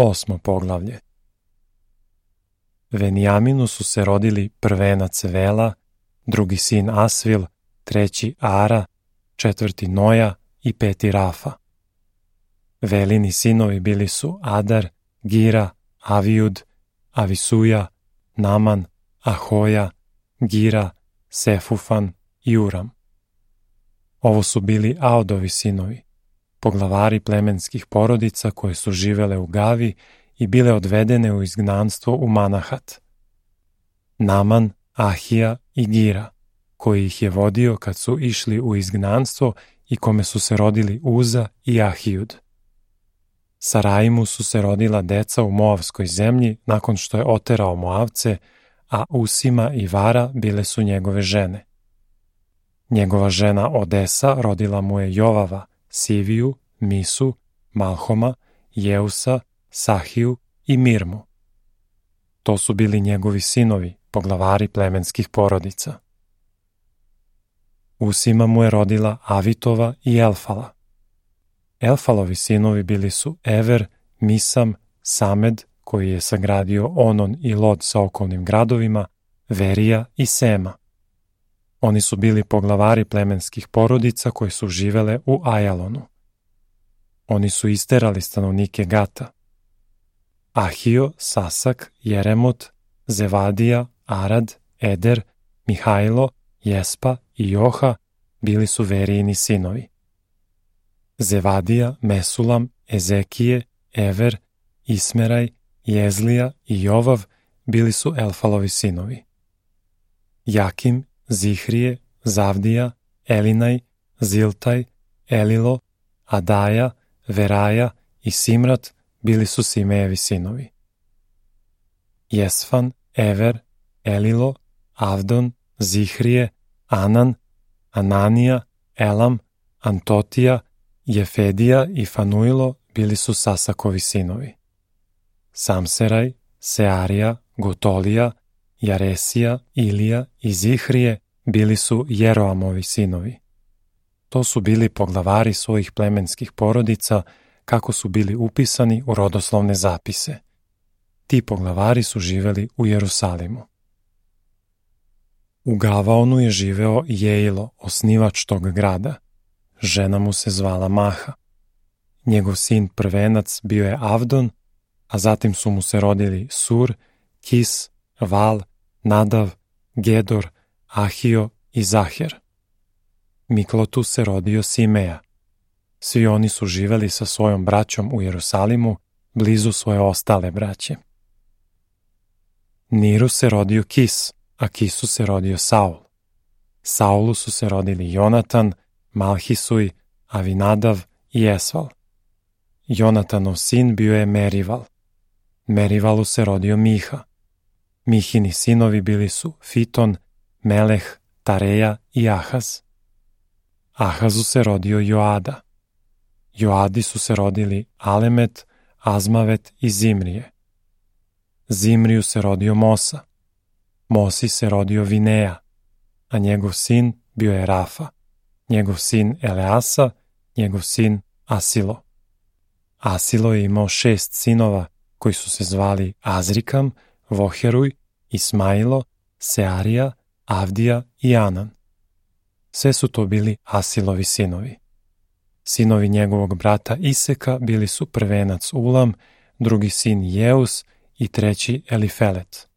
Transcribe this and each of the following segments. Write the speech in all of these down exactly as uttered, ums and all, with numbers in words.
Osmo poglavlje. Venijaminu su se rodili prvenac Vela, drugi sin Asvil, treći Ara, četvrti Noja i peti Rafa. Velini sinovi bili su Adar, Gira, Avijud, Avisuja, Naman, Ahoja, Gira, Sefufan i Uram. Ovo su bili Aodovi sinovi, poglavari plemenskih porodica koje su živele u Gavi i bile odvedene u izgnanstvo u Manahat. Naman, Ahija i Gira, koji ih je vodio kad su išli u izgnanstvo i kome su se rodili Uza i Ahijud. Saraimu su se rodila deca u Moavskoj zemlji nakon što je oterao Moavce, a Usima i Vara bile su njegove žene. Njegova žena Odesa rodila mu je Jovava, Siviju, Misu, Malhoma, Jeusa, Sahiju i Mirmu. To su bili njegovi sinovi, poglavari plemenskih porodica. Usima mu je rodila Avitova i Elfala. Elfalovi sinovi bili su Ever, Misam, Samed, koji je sagradio Onon i Lod sa okolnim gradovima, Verija i Sema. Oni su bili poglavari plemenskih porodica koje su živele u Ajalonu. Oni su isterali stanovnike Gata. Ahio, Sasak, Jeremot, Zevadija, Arad, Eder, Mihajlo, Jespa i Joha bili su Verijini sinovi. Zevadija, Mesulam, Ezekije, Ever, Ismeraj, Jezlija i Jovav bili su Elfalovi sinovi. Jakim, Zihrije, Zavdija, Elinaj, Ziltaj, Elilo, Adaja, Veraja i Simrat bili su Simejevi sinovi. Jesfan, Ever, Elilo, Avdon, Zihrije, Anan, Ananija, Elam, Antotija, Jefedija i Fanuilo bili su Sasakovi sinovi. Samseraj, Searija, Gotolija, Jaresija, Ilija i Zihrije bili su Jeroamovi sinovi. To su bili poglavari svojih plemenskih porodica kako su bili upisani u rodoslovne zapise. Ti poglavari su živeli u Jerusalimu. U Gavaonu je živeo Jeilo, osnivač tog grada. Žena mu se zvala Maha. Njegov sin prvenac bio je Avdon, a zatim su mu se rodili Sur, Kis, Val, Nadav, Gedor, Ahio i Zaher. Miklotu se rodio Simeja. Svi oni su živeli sa svojom braćom u Jerusalimu, blizu svoje ostale braće. Niru se rodio Kis, a Kisu se rodio Saul. Saulu su se rodili Jonatan, Malhisuj, Avinadav i Esval. Jonatanov sin bio je Merival. Merivalu se rodio Miha. Mihini sinovi bili su Fiton, Meleh, Tareja i Ahaz. Ahazu se rodio Joada. Joadi su se rodili Alemet, Azmavet i Zimrije. Zimriju se rodio Mosa. Mosi se rodio Vineja, a njegov sin bio je Rafa, njegov sin Eleasa, njegov sin Asilo. Asilo je imao šest sinova koji su se zvali Azrikam, Voheruj, Ismailo, Searija, Avdija i Anan. Sve su to bili Asilovi sinovi. Sinovi njegovog brata Iseka bili su prvenac Ulam, drugi sin Jeus i treći Elifelet.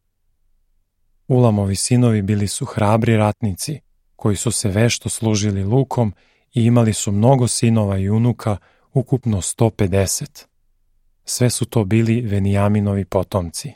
Ulamovi sinovi bili su hrabri ratnici, koji su se vešto služili lukom i imali su mnogo sinova i unuka, ukupno sto pedeset. Sve su to bili Venijaminovi potomci.